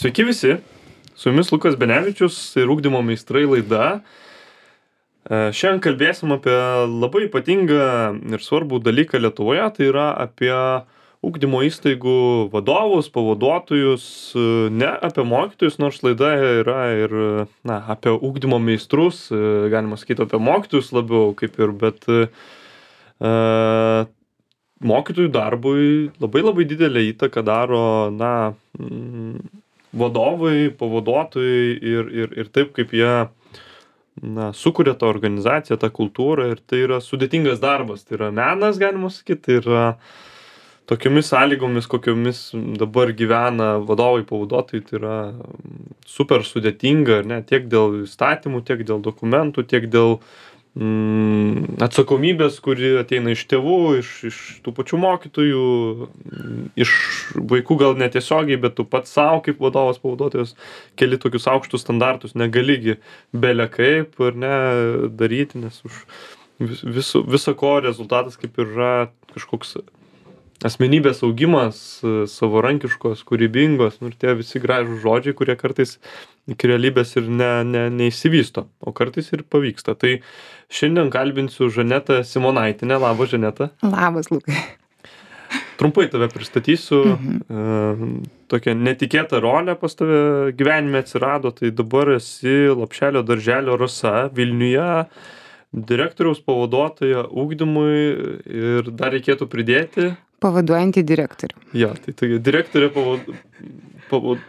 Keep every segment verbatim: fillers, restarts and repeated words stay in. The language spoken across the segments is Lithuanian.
Sveiki visi, su jumis Lukas Benevičius ir Ugdymo meistrai laida. Šiandien kalbėsim apie labai ypatingą ir svarbų dalyką Lietuvoje, tai yra apie ugdymo įstaigų vadovus, pavaduotojus, ne apie mokytojus, nors laida yra ir na, apie ugdymo meistrus, galima sakyti apie mokytojus labiau kaip ir, bet uh, mokytojų darbui labai labai didelę įtaką daro na, vadovai, pavaduotojai ir, ir, ir taip, kaip jie na, sukuria tą organizaciją, tą kultūrą ir tai yra sudėtingas darbas, tai yra menas, galima sakyti, tai yra tokiomis sąlygomis, kokiomis dabar gyvena vadovai, pavaduotojai, tai yra super sudėtinga, ne, tiek dėl įstatymų, tiek dėl dokumentų, tiek dėl mm, atsakomybės, kuri ateina iš tėvų, iš, iš tų pačių mokytojų, iš vaikų gal netiesiogiai, bet tu pats savo kaip vadovas, pavaduotojas keli tokius aukštus standartus, negaligi bele kaip ar ne daryti, nes už vis, viso, viso ko rezultatas kaip ir yra kažkoks asmenybės augimas, savarankiškos, kūrybingos, nu ir tie visi gražūs žodžiai, kurie kartais iki realybės ir ne, ne, neįsivysto, o kartais ir pavyksta. Tai šiandien kalbinsiu Žanetą Simonaitinę. Labas, Žaneta. Labas, Lukai. Trumpai tave pristatysiu. Mhm. Tokia netikėta rolė pas tave gyvenime atsirado, tai dabar esi Lopšelio darželio Rasa Vilniuje, direktoriaus pavaduotoja ugdymui ir dar reikėtų pridėti Pavaduojantį direktorių. Jo, tai tokia direktorė pavad... pavad...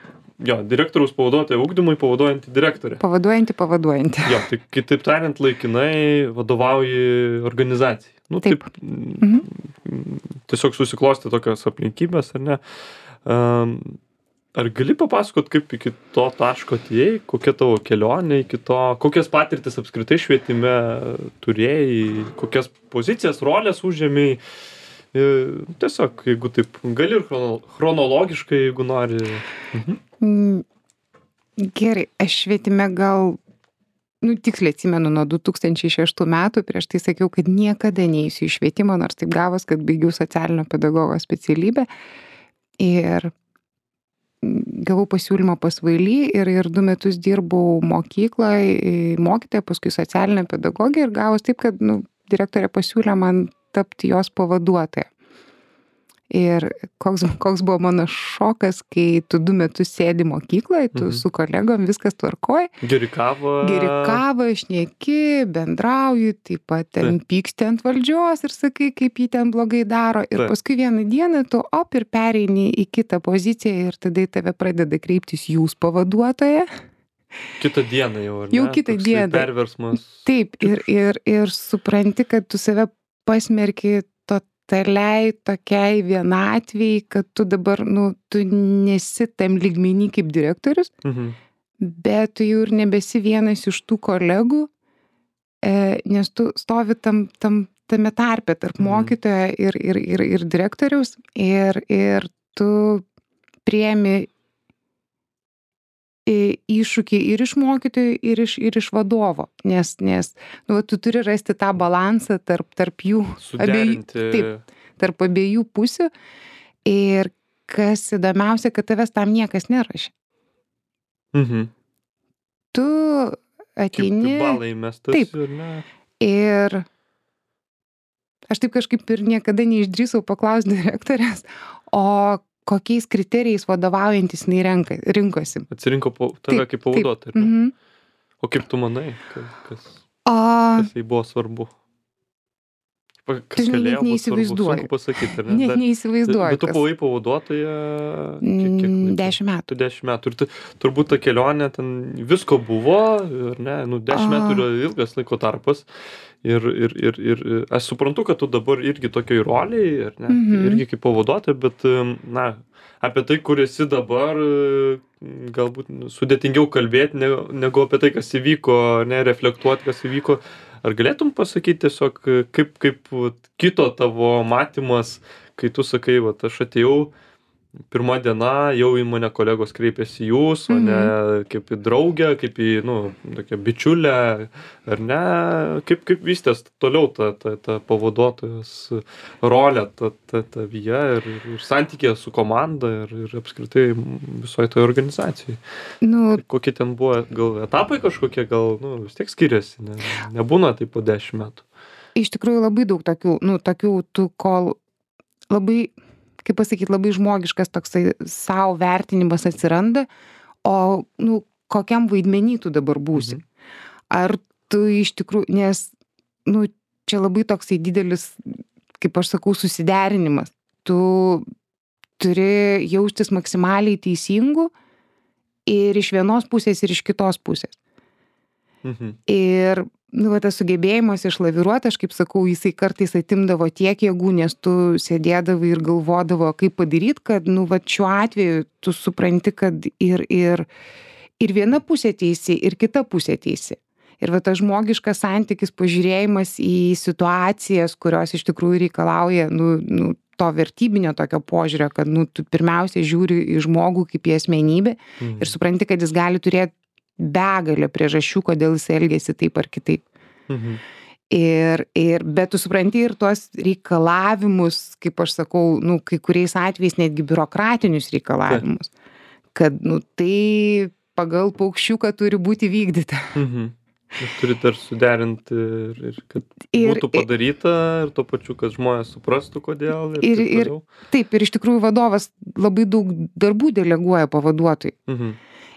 jo, direktoriaus pavaduotoja ugdymui, pavaduojantį direktorę. Pavaduojantį, pavaduojantį. Jo, tai kitaip tariant, laikinai vadovauji organizacijai. Nu, taip. taip Mhm. Tiesiog susiklosti tokios aplinkybės, ar ne? Um, ar gali papasakot, kaip iki to taško atėjai, kokia tavo kelionė iki to, kokias patirtis apskritai švietime turėjai, kokias pozicijas, rolės užėmėjai? Tiesiog, jeigu taip, gali ir chrono, chronologiškai, jeigu nori. Mhm. Gerai, aš švietime gal, nu, tiksliai atsimenu nuo du tūkstančiai šeštų metų, prieš tai sakiau, kad niekada neįsiu į švietimą, nors taip gavos, kad baigiau socialinio pedagogo specialybę. Ir gavau pasiūlymą pas V L I ir, ir du metus dirbau mokykloje, mokytoja, paskui socialinė pedagogė ir gavos taip, kad nu, direktorė pasiūlė man tapti jos pavaduotoja. Ir koks, koks buvo mano šokas, kai tu du metus sėdi mokykloje, tu mhm. su kolegom viskas tvarkoji. Geri kavą. Geri kavą, šneki, bendrauji, taip pat ten taip. Pyksti ant valdžios ir sakai, kaip jį ten blogai daro. Ir taip. Paskui vieną dieną tu op ir pereini į kitą poziciją ir tada į tave pradeda kreiptis jūs pavaduotoja. Kitą dieną jau, ar ne? Jau kitą Toksai dieną. Perversmas. Taip, ir, ir, ir supranti, kad tu save pasmerki totaliai tokiai vienatvei, kad tu dabar, nu, tu nesi tam lygmenį kaip direktorius, Mhm. bet tu jau ir nebesi vienas iš tų kolegų, e, nes tu stovi tam, tam, tame tarpe tarp Mhm. mokytojo ir, ir, ir, ir direktoriaus ir, ir tu priemi iššūkį ir iš mokytojų, ir iš, ir iš vadovo, nes, nes nu, tu turi rasti tą balansą tarp, tarp jų abiejų, taip, tarp abiejų pusių ir kas įdomiausia, kad tavęs tam niekas nerašė. Mhm. Tu ateini... Kaip balai mestas. Taip. Ir, ne? Ir aš taip kažkaip ir niekada neišdrįsau paklausti direktorės, o kokiais kriterijais vadovaujantis jinai renka, rinkosi. Atsirinko po, tave Taip, kaip pavaduotoją. taip. Mhm. O kaip tu manai, kas, kas, O kas tai buvo svarbu? Kas Tu žinai, galėjo net būt svarbu? neįsivaizduoju. Sunku pasakyti, ar ne? net Dar- neįsivaizduoju. Bet tu kas- buvai pavaduotoja kiek, kiek Mm, laiko? Dešimt metų. Tu dešimt metų. Ir tu, turbūt ta kelionė ten visko buvo, ar ne? Nu, dešimt A. metų yra ilgas laiko tarpas. Ir, ir, ir, ir aš suprantu, kad tu dabar irgi tokioj roliai, ar ne? Mhm. Irgi kaip pavaduotoja, bet, na, apie tai, kur esi dabar, galbūt sudėtingiau kalbėti ne- negu apie tai, kas įvyko, ne, reflektuoti, kas įvyko. Ar galėtum pasakyti tiesiog, kaip, kaip vat, kito tavo matymas, kai tu sakai, vat, aš atėjau pirma diena jau į mane kolegos kreipiasi jūs, o ne kaip į draugę, kaip į, nu, tokią bičiulę, ar ne, kaip, kaip vystės toliau ta, ta, ta pavaduotojos rolė ta, ta, tavyje ir, ir santykė su komanda ir, ir apskritai visoje toje organizacijai. Nu, Kokie ten buvo, gal etapai kažkokie, gal, nu, vis tiek skiriasi, ne, nebūna taip po dešimt metų. iš tikrųjų labai daug tokių, nu, tokių, tu kol labai, kaip pasakyti, labai žmogiškas toksai savo vertinimas atsiranda, o, nu, kokiam vaidmenį tu dabar būsi. Ar tu iš tikrųjų, nes, nu, čia labai toksai didelis, kaip aš sakau, susiderinimas. Tu turi jaustis maksimaliai teisingu ir iš vienos pusės, ir iš kitos pusės. Mhm. Ir, nu, va, tas sugebėjimas išlaviruoti, aš kaip sakau, jisai kartais atimdavo tiek jėgų, nes tu sėdėdavai ir galvodavo, kaip padaryti, kad, nu, va, šiuo atveju tu supranti, kad ir, ir, ir viena pusė teisi, ir kita pusė teisi. Ir va, tas žmogiškas santykis, pažiūrėjimas į situacijas, kurios iš tikrųjų reikalauja, nu, nu, to vertybinio tokio požiūrio, kad, nu, tu pirmiausia žiūri į žmogų kaip į asmenybę Mhm. ir supranti, kad jis gali turėti begalę priežasčių, kodėl jis elgėsi taip ar kitaip. Mhm. Ir, ir, bet tu supranti ir tuos reikalavimus, kaip aš sakau, nu, kai kuriais atvejais netgi biurokratinius reikalavimus, kad, nu, tai pagal paukščiuką turi būti vykdyta. Mhm. Ir turi dar suderinti ir, ir kad Ir- būtų padaryta ir tuo pačiu, kad žmonės suprastų, kodėl. Ir, Ir- taip ir- toliau. Taip, ir iš tikrųjų vadovas labai daug darbų deleguoja pavaduotojui. Mhm.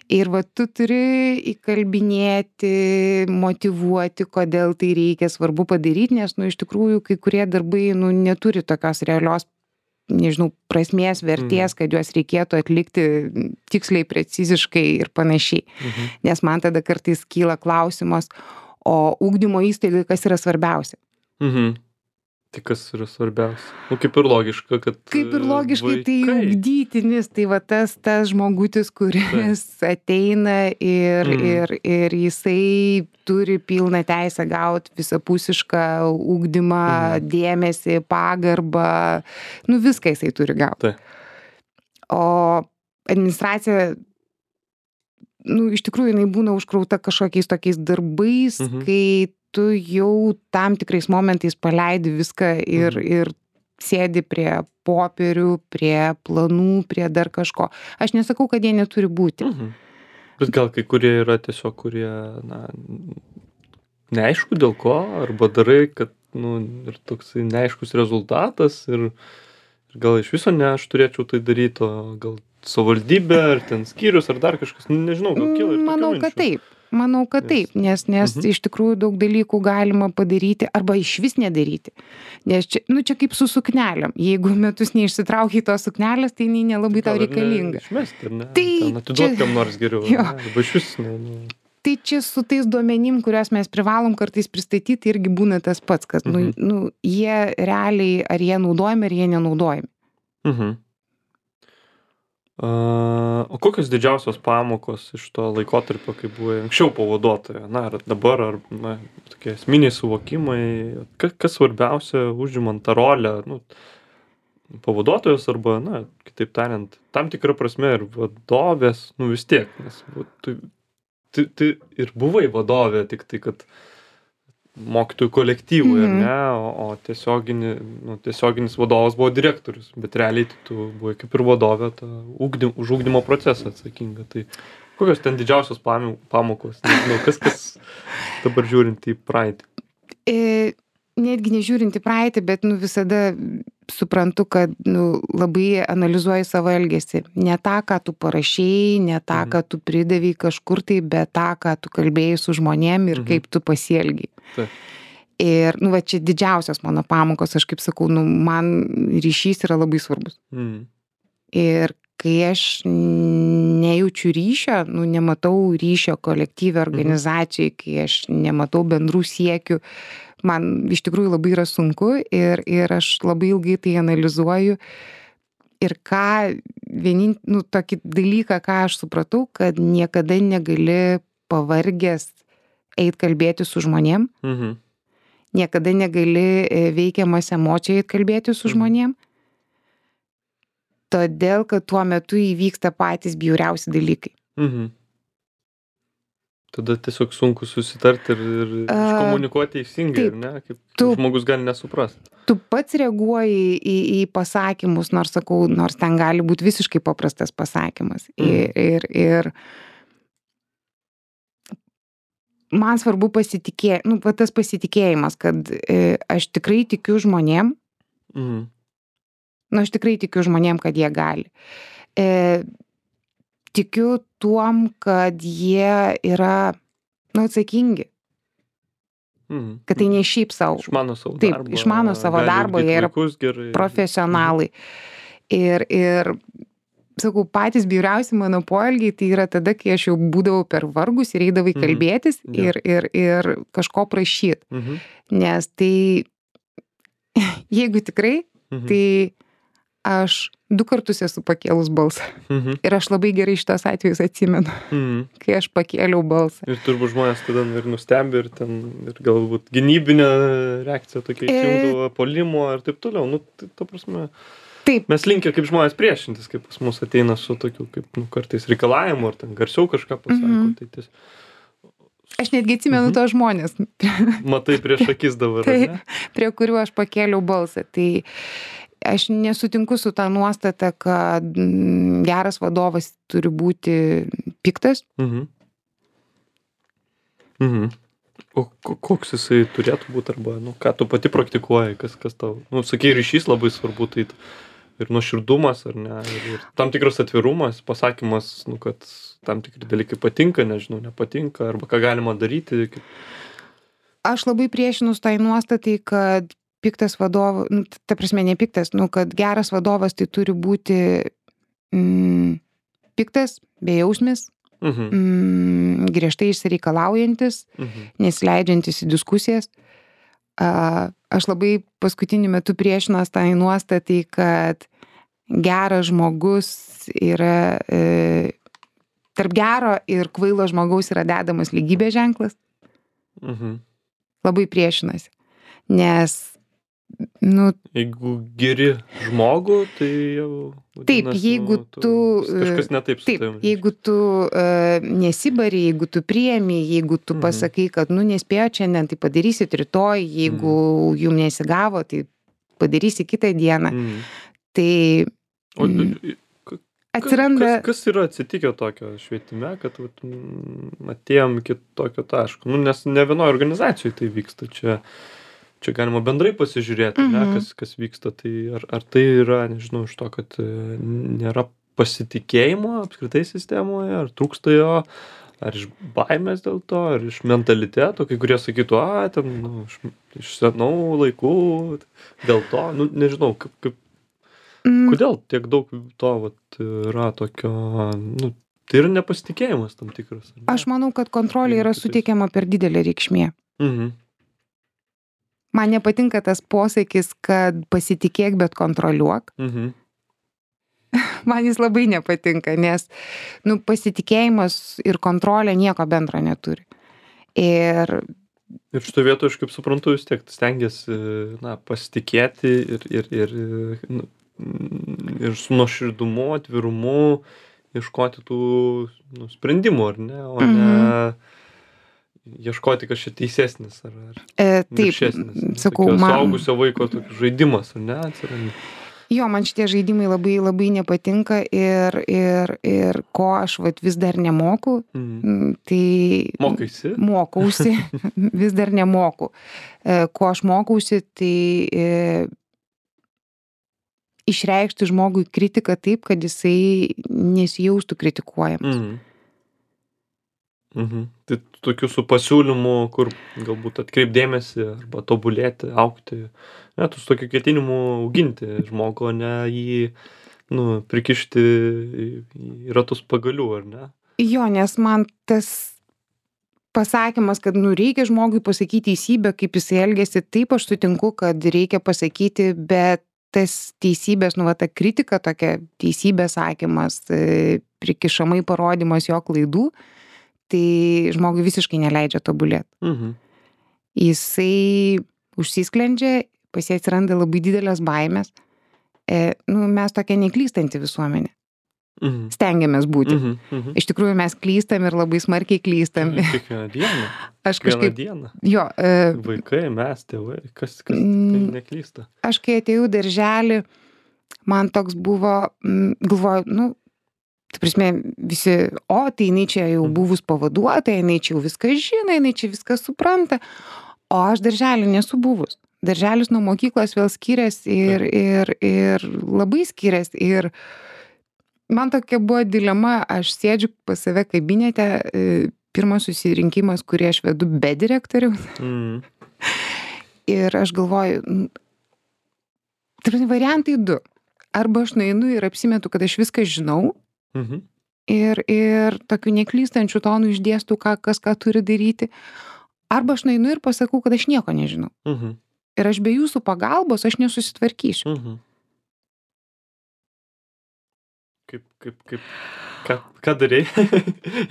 Ir va, tu turi įkalbinėti, motyvuoti, kodėl tai reikia svarbu padaryti, nes, nu, iš tikrųjų, kai kurie darbai, nu, neturi tokios realios, nežinau, prasmės, vertės, kad juos reikėtų atlikti tiksliai, preciziškai ir panašiai. Mhm. Nes man tada kartais kyla klausimas, o ugdymo įstaigai kas yra svarbiausia? Mhm. Tai kas yra svarbiausia? Nu, kaip ir logiška, kad Kaip ir logiškai tai vaikai. ugdytinis, tai va tas, tas žmogutis, kuris ateina ir, Mm. ir, ir jisai turi pilną teisę gauti visapusišką ugdymą, Mhm. dėmesį, pagarbą, nu viską jisai turi gauti. Taip. O administracija, nu, iš tikrųjų, jinai būna užkrauta kažkokiais tokiais darbais, Mhm. kai tu jau tam tikrais momentais paleidi viską ir, Mhm. ir sėdi prie popierių, prie planų, prie dar kažko. Aš nesakau, kad jie neturi būti. Mhm. Bet gal kai kurie yra tiesiog, kurie, na, neaišku dėl ko, arba darai, kad, nu, ir toksai neaiškus rezultatas ir, ir gal iš viso ne aš turėčiau tai daryti, o gal savivaldybė, ar ten skyrius, ar dar kažkas, nu, nežinau, gal kyla ir tokių Manau, kad minčių. taip. Manau, kad Nes- taip, nes, nes Mhm. iš tikrųjų daug dalykų galima padaryti arba iš vis nedaryti. Nes čia, nu, čia kaip su suknelėm. Jeigu metus neišsitraukiai tos suknelės, tai jinai nelabai tau Gal ir reikalinga. Išmesti, ar ne? Tai Ten atiduot čia- kam nors geriau. Jo. ne? Arba iš vis, ne, nu. Tai čia su tais duomenim, kuriuos mes privalom kartais pristatyti, irgi būna tas pats, kad, nu, Mhm. nu, jie realiai, ar jie naudojami, ar jie nenaudojami. Mhm. A, o kokios didžiausios pamokos iš to laikotarpio, kai buvai anksčiau pavaduotoja, na, ar dabar, ar, na, tokie esminiai suvokimai, kas, kas svarbiausia užimant tą rolę, nu, pavaduotojas arba, na, kitaip tariant, tam tikrą prasme ir vadovės, nu, vis tiek, nes va, tu, tu, tu ir buvai vadovė, tik tai, kad mokytojų kolektyvui, ar Mhm. ne, o, o tiesiogini, nu, tiesioginis vadovas buvo direktorius, bet realiai tai tu buvai kaip ir vadovė ta ugdym, už ugdymo procesą atsakinga. Tai kokios ten didžiausios pami- pamokos, nežinau, kas, kas dabar žiūrint į praeitį. E, netgi nežiūrint į praeitį, bet, nu, visada suprantu, kad, nu, labai analizuoji savo elgesį. Ne tą, ką tu parašėjai, ne tą, Mhm. ką tu pridavai kažkur tai, bet tą, ką tu kalbėjai su žmonėm ir Mhm. kaip tu pasielgiai. Taip. Ir, nu, va, čia didžiausios mano pamokos, aš kaip sakau, nu, man ryšys yra labai svarbus. Mm. Ir kai aš nejaučiu ryšio, nu, nematau ryšio kolektyvio organizacijai, kai aš nematau bendrų siekių, man iš tikrųjų labai yra sunku ir, ir aš labai ilgai tai analizuoju. Ir ką, vienin, nu, tokį dalyką, ką aš supratau, kad niekada negali pavargęs eit kalbėti su žmonėm, Mhm. niekada negali e, veikiamas emocijai eit kalbėti su Mhm. žmonėm. Todėl, kad tuo metu įvyksta patys bjauriausi dalykai. Mhm. Tada tiesiog sunku susitarti ir, ir A, iškomunikuoti teisingai, taip, ar ne? Kaip, kaip tu, žmogus gali nesuprasti. tu pats reaguoji į, į pasakymus, nors sakau, nors ten gali būti visiškai paprastas pasakymas. Mhm. Ir, ir, ir man svarbu pasitikė, nu, va tas pasitikėjimas, kad e, aš tikrai tikiu žmonėm, Mhm. nu, aš tikrai tikiu žmonėm, kad jie gali. E, tikiu tuom, kad jie yra, nu, atsakingi, Mhm. kad tai ne šiaip savo. Išmano savo Taip, darbą. išmano savo gali darbą, ugdyti jie yra vaikus gerai. profesionalai. Ir, ir, sakau, patys bjauriausi mano poelgiai, tai yra tada, kai aš jau būdavau per vargus ir eidavai Mhm. kalbėtis Jo. ir, ir, ir kažko prašyti. Mhm. Nes tai, jeigu tikrai, Mhm. tai aš du kartus esu pakėlus balsą. Mhm. Ir aš labai gerai šitos atvejus atsimenu, Mhm. kai aš pakėliau balsą. Ir turbūt žmonės tada ir nustebė, ir ten, ir galbūt gynybinė reakcija tokia E- įsijungdavo, puolimo ir taip toliau. Nu, tai, ta prasme, Taip, mes linkę kaip žmonės priešintis, kaip pas mus ateina su tokiu, kaip, nu, kartais reikalavimu, ar ten garsiau kažką pasako. Mhm. Tai ties, aš netgi atsimenu Mhm. tos žmonės, matai prieš akis dabar, ar tai, ne? prie kurių aš pakėliau balsą. Tai aš nesutinku su tą nuostatą, kad mm, geras vadovas turi būti piktas. Mhm. Mhm. O ko- koks jisai turėtų būti, arba, nu, ką tu pati praktikuoji, kas, kas tau, nu, sakai, ryšys labai svarbu, tai ir nuoširdumas, ar ne, ir, ir tam tikras atvirumas, pasakymas, nu, kad tam tikri dalykai patinka, nežinau, nepatinka, arba ką galima daryti. Kaip... Aš labai priešinus tai nuostatai, kad piktas vadovas, nu, ta prasme ne piktas, nu, kad geras vadovas tai turi būti mm, piktas, bejausmis, Mhm. mm, griežtai išsireikalaujantis, Mhm. nesileidžiantis į diskusijas. A, aš labai paskutiniu metu priešinos tai nuostatai, kad geras žmogus yra, e, tarp gero ir kvailo žmogaus yra dedamas lygybės ženklas. Mhm. Labai priešinasi. Nes, nu, Jeigu geri žmogų, tai jau... Taip, vadinasi, jeigu nu, tu, Kažkas ne taip su taip, tavim. jeigu tu uh, nesibari, jeigu tu priemi, jeigu tu Mhm. pasakai, kad, nu, nespėjo šiandien, tai padarysit rytoj, jeigu jum nesigavo, tai padarysi kitą dieną. Mhm. Tai O, mm, Ka- atsiranda, Kas, kas yra atsitikę tokio švietime, kad vat, mm, atėjom iki tokio taško? Nu, nes ne vienoje organizacijoje tai vyksta. Čia, čia galima bendrai pasižiūrėti, Mhm. ne, kas, kas vyksta. Tai ar, ar tai yra, nežinau, iš to, kad e, nėra pasitikėjimo apskritai sistemoje, ar trūksta jo, ar iš baimės dėl to, ar iš mentaliteto, kai kurie sakytų, a, ten, nu, iš, iš senų laikų, dėl to, nu, nežinau, kaip, kaip mm, Kodėl tiek daug to vat, yra tokio, nu, tai yra nepasitikėjimas tam tikras. ar ne? aš manau, kad kontrolė yra Vieni kitais. suteikiama per didelė reikšmė. Mhm. Man nepatinka tas posakis, kad pasitikėk, bet kontroliuok. Mhm. Man jis labai nepatinka, nes, nu, pasitikėjimas ir kontrolė nieko bendro neturi. Ir Ir šito vietoje, aš kaip suprantu, vis tiek stengiasi, na, pasitikėti ir, ir, ir, nu, ir su nuoširdumu, atvirumu ieškoti tų, nu, sprendimų, ar ne, o ne ieškoti kažkaip teisesnis ar, ar e, taip, viršesnis. Nu, sakau, tokio man, suaugusio vaiko toks žaidimas, ar ne, atsiranda. jo, man šitie žaidimai labai, labai nepatinka ir, ir, ir ko aš vat, vis dar nemoku, Mhm. m, tai Mokaisi? mokausi, vis dar nemoku. E, ko aš mokausi, tai e, išreikšti žmogui kritiką taip, kad jisai nesijaustų kritikuojamas. Mhm. Mhm. Tai tokių su pasiūlymu, kur galbūt atkreipdėmėsi arba tobulėti, aukti, ne, tu su tokiu ketinimu auginti žmogų, o ne jį, nu, prikišti į, į ratus pagalių, ar ne? Jo, nes man tas pasakymas, kad nu, reikia žmogui pasakyti teisybę, kaip jisai elgėsi, taip aš sutinku, kad reikia pasakyti, bet tas teisybės, nu, va, ta kritika, tokia teisybės sakymas, e, prikišamai parodymas jo klaidų, tai žmogui visiškai neleidžia tobulėti. Mhm. Jisai užsisklendžia, pas jį atsiranda labai didelės baimės. e, nu, mes tokia neklystanti visuomenė. Mhm. Stengiamės būti. Mhm. Mhm. Iš tikrųjų mes klystam ir labai smarkiai klystam. Kiekvieną dieną. Aš Kiekvieną kažkaip, dieną. jo, e, Vaikai, mes, tėvai, kas, kas Mm. tikrai neklysta. aš kai atėjau į darželį, man toks buvo, mm, galvoju, nu, tai prasme, visi, o, tai jinai čia jau Mhm. buvus pavaduotoja, jinai čia jau viską žino, jinai čia viską supranta, o aš darželį nesu buvus. Darželis nuo mokyklos vėl skiriasi ir, ir, ir labai skiriasi. Ir man tokia buvo dilema, aš sėdžiu pas save kabinete, e, pirmas susirinkimas, kurį aš vedu be direktoriaus. Mhm. Ir aš galvoju, n- tai yra variantai du. Arba aš nueinu ir apsimetu, kad aš viską žinau Mhm. ir, ir tokiu neklystančiu tonu išdėstu, ką, kas ką turi daryti. Arba aš nueinu ir pasakau, kad aš nieko nežinau. Mhm. Ir aš be jūsų pagalbos aš nesusitvarkysiu. Mhm. Kaip, kaip, kaip, ką, ką darei?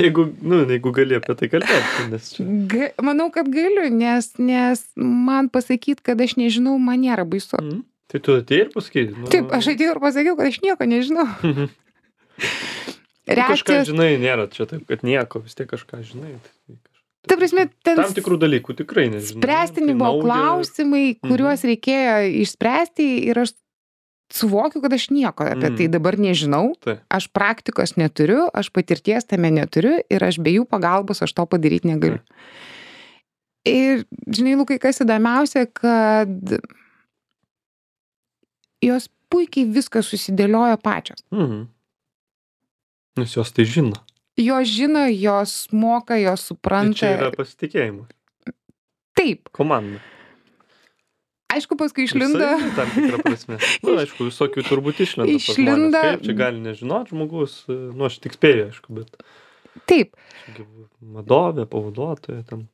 jeigu, nu, jeigu gali apie tai kalbėti, nes čia. Ga, manau, kad galiu, nes, nes man pasakyti, kad aš nežinau, man nėra baisu. Mhm. Tai tu atėjai ir pasakai. Nu, Taip, aš atėjau ir pasakiau, kad aš nieko nežinau. Mhm. Nu, kažką Reakcijos, žinai, nėra čia taip, kad nieko, vis tiek kažką žinai. Tai kaž- ta prasme, ten Tam tikrų dalykų tikrai nežinai. spręstini Tai buvo nauja. klausimai, kuriuos reikėjo išspręsti ir aš suvokiu, kad aš nieko apie Mhm. tai dabar nežinau. Taip. Aš praktikos neturiu, aš patirties tame neturiu ir aš be jų pagalbos aš to padaryti negaliu. Ir, žinai, Lukai, kas įdomiausia, kad jos puikiai viską susidėliojo pačios. Mhm. Nes jos tai žino. Jos žino, jos moka, jos Ir supranta. čia yra pasitikėjimas. Taip. Komanda. Aišku, paskui išlinda. Savi tam tikrą prasme. Na, aišku, visokių turbūt išlenda. pas Išlinda- žmones. Kaip čia gali nežinot žmogus, nu, aš tik spėju, aišku, bet Taip. čia gi vadovė, pavaduotoja, ten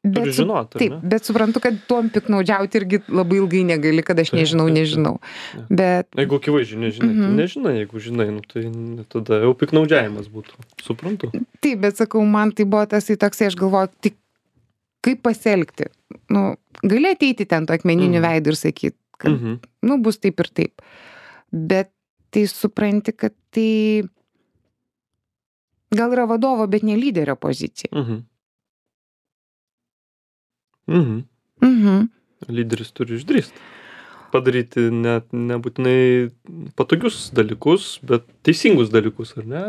turi Bet, su, žinot, ar taip, ne? bet suprantu, kad tuom piknaudžiauti irgi labai ilgai negali, kad aš Taip, nežinau, taip, taip. nežinau. Jo. Bet Jeigu akivaizdžiai nežinai, tai Mhm. nežinai, jeigu žinai, nu, tai n- tada jau piknaudžiavimas būtų. Suprantu. taip, bet sakau, man tai buvo tas į toksai, aš galvoju, tik kaip pasielgti. Nu, gali ateiti ten to akmeniniu Mhm. veidu ir sakyti, kad, Mhm. nu, bus taip ir taip. Bet tai supranti, kad tai gal yra vadovo, bet ne lyderio pozicija. Mhm. Mhm. Mhm. Lyderis turi išdrįsti. Padaryti net nebūtinai patogius dalykus, bet teisingus dalykus, ar ne?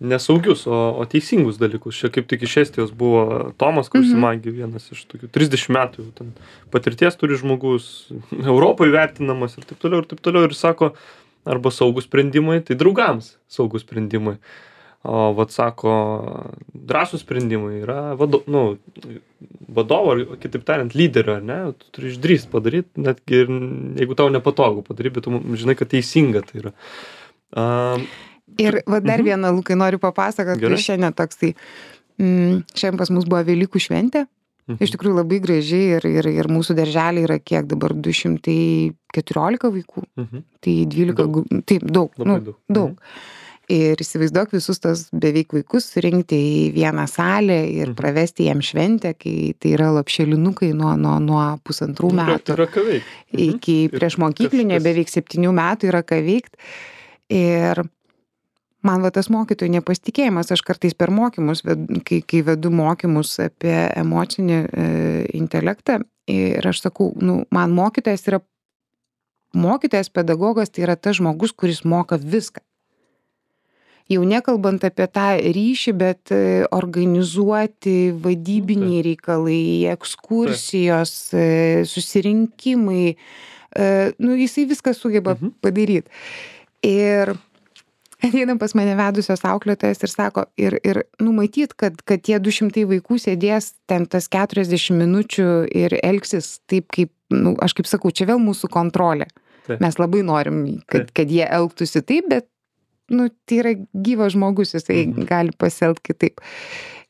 Nesaugius, o, o teisingus dalykus. Čia kaip tik iš Estijos buvo Tomas Kausimagi, vienas iš tokių trisdešimt metų jau ten patirties turi žmogus, Europoje vertinamas ir taip toliau, ir taip toliau. Ir sako, arba saugus sprendimai, tai draugams saugus sprendimai. O vat sako, drąsūs sprendimai yra vado, nu, vadovo, ar kitaip tariant, lyderio, ar ne? Tu turi išdrįst padaryti, netgi ir jeigu tau nepatogu padaryti, bet tu žinai, kad teisinga tai yra. Um, Ir va, dar Mhm. vieną, Lukai, noriu papasakoti, Gerai. kai šiandien toksai, mm, šiandien pas mus buvo Velykų šventė. Iš tikrųjų labai gražiai ir, ir, ir mūsų darželiai yra kiek dabar du šimtai keturiolika vaikų. mhm. Tai dvylika, Daug. gu- taip, daug, Labai nu, daug. daug. Ir įsivaizduok visus tos beveik vaikus surinkti į vieną salę ir Mhm. pravesti jiem šventę, kai tai yra lopšelinukai nuo, nuo, nuo pusantrų Nu, bet metų yra ką veikti. Mhm. iki Ir prieš mokyklinio kas- kas- beveik septynių metų yra ką veikti. Ir man va tas mokytojų nepasitikėjimas, aš kartais per mokymus, ved- kai, kai vedu mokymus apie emocinį e, intelektą ir aš sakau, nu, man mokytojas yra, mokytojas pedagogas tai yra tas žmogus, kuris moka viską. Jau nekalbant apie tą ryšį, bet e, organizuoti vadybiniai reikalai, ekskursijos, e, susirinkimai, e, nu, jisai viską sugeba Mhm. padaryti. Ir ateina pas mane vedusios auklėtojas ir sako, ir, ir numatyt, kad, kad tie du šimtai vaikų sėdės ten tas keturiasdešimt minučių ir elgsis taip, kaip, nu, aš kaip sakau, čia vėl mūsų kontrolė. Taip. Mes labai norim, kad, kad jie elgtųsi taip, bet, nu, tai yra gyvas žmogus, jisai Mhm. gali pasielgti kitaip.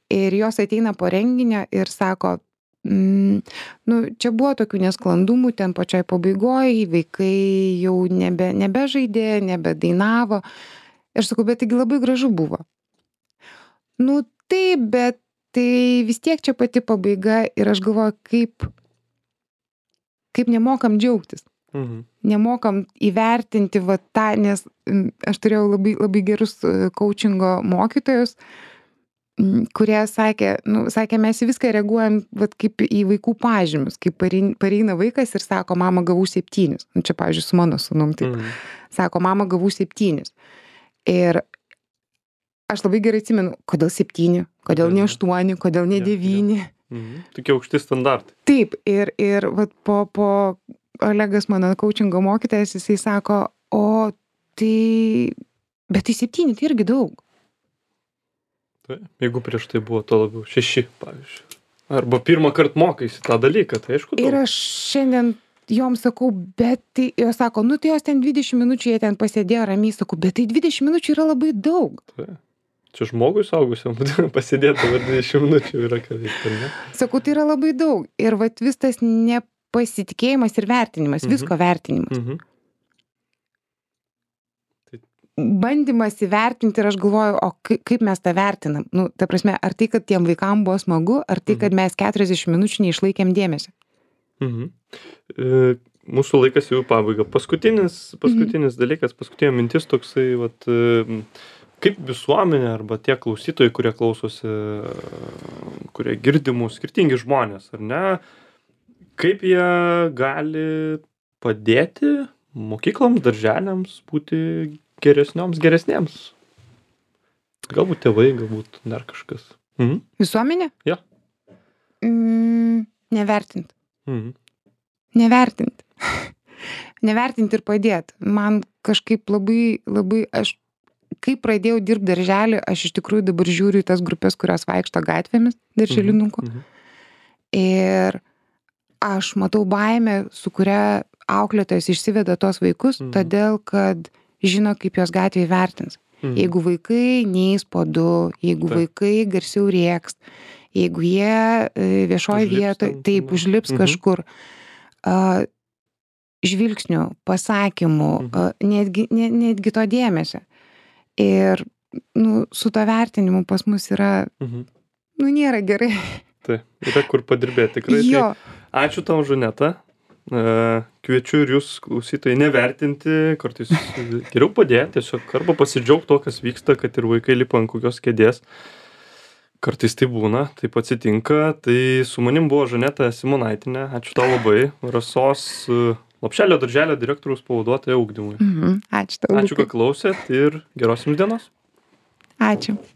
Ir jos ateina po renginio ir sako, mm, nu, čia buvo tokių nesklandumų, ten pačioj pabaigoje vaikai jau nebe, nebežaidė, nebedainavo. Ir sakau, bet taigi labai gražu buvo. Nu taip, bet tai vis tiek čia pati pabaiga ir aš galvoju, kaip, kaip nemokam džiaugtis. Mhm. Nemokam įvertinti va tą, nes m, aš turėjau labai, labai gerus e, coachingo mokytojus, m, kurie sakė, nu, sakė, mes į viską reaguojam vat, kaip į vaikų pažymius, kaip parein- pareina vaikas ir sako, mama gavau septynis. Nu, čia, pavyzdžiui, su mano sūnum taip. Mhm. Sako, mama gavau septynis. Ir aš labai gerai atsimenu, kodėl septyni, kodėl ne Mhm. aštuoni, kodėl ne Jo, jo. devyni. Mhm. Tokie aukšti standartai. Taip, ir, ir vat, po, po Olegas, mano coachingo mokytojas, jisai sako, o tai, bet tai septyni, tai irgi daug. Tai, jeigu prieš tai buvo to labiau šeši, pavyzdžiui. Arba pirmą kartą mokaisi tą dalyką, tai aišku. Ir daug. aš šiandien joms sakau, bet tai, jos sako, nu tai jos ten dvidešimt minučių, jie ten pasėdėjo ramiai, sakau, bet tai dvidešimt minučių yra labai daug. Tai. Čia žmogui saugusiam pasidėti dabar dvidešimt minučių yra ką veikti, ar ne? Sakau, tai yra labai daug. Ir vat vis tas nepasitikėjimas ir vertinimas, Mhm. visko vertinimas. Mhm. Bandymas įvertinti ir aš galvoju, o kai- kaip mes tą vertinam? Nu, ta prasme, ar tai, kad tiem vaikam buvo smagu, ar tai, kad mes keturiasdešimt minučių neišlaikėm dėmesio? Mhm. E, mūsų laikas jau į pabaigą. Paskutinis, paskutinis dalykas, paskutinė mintis toksai, vat, e, kaip visuomenė arba tie klausytojai, kurie klausosi, e, kurie girdimų, skirtingi žmonės, ar ne, kaip jie gali padėti mokykloms, darželiams būti geresnioms, geresniems? Galbūt tėvai, galbūt dar kažkas. Mhm. Visuomenė? Jo. Mm, nevertint. Mhm. Nevertint. Nevertint ir padėt. Man kažkaip labai, labai, aš, kai pradėjau dirbti darželį, aš iš tikrųjų dabar žiūriu į tas grupės, kurios vaikšto gatvėmis darželinukų. Mhm. Ir aš matau baimę, su kuria auklėtojas išsiveda tos vaikus, Mhm. todėl kad žino, kaip jos gatvėje vertins. Mhm. Jeigu vaikai neis po du, jeigu Taip. vaikai garsiau rėks, jeigu jie e, viešoje Užlips vietoje, ten, taip, ne? užlips Mhm. kažkur, a, žvilgsnių, pasakymų, Mhm. a, netgi, ne, netgi to dėmesio. Ir nu, su to vertinimu pas mus yra, Mhm. nu, nėra gerai. Tai yra kur padirbėti tikrai. Jo. Tai ačiū tau, Žaneta. E, Kviečiu ir jūs klausytojai nevertinti, kartais geriau padėti, tiesiog arba pasidžiaugti to, kas vyksta, kad ir vaikai lipa ant kokios kėdės. Kartais tai būna, taip atsitinka. Tai su manim buvo Žaneta Simonaitinė. Ačiū tau labai. Rasos e, Lopšelio darželio direktoriaus pavaduotoja ugdymui. Mhm. Ačiū tau. Ačiū, kad klausėt ir geros jums dienos. Ačiū.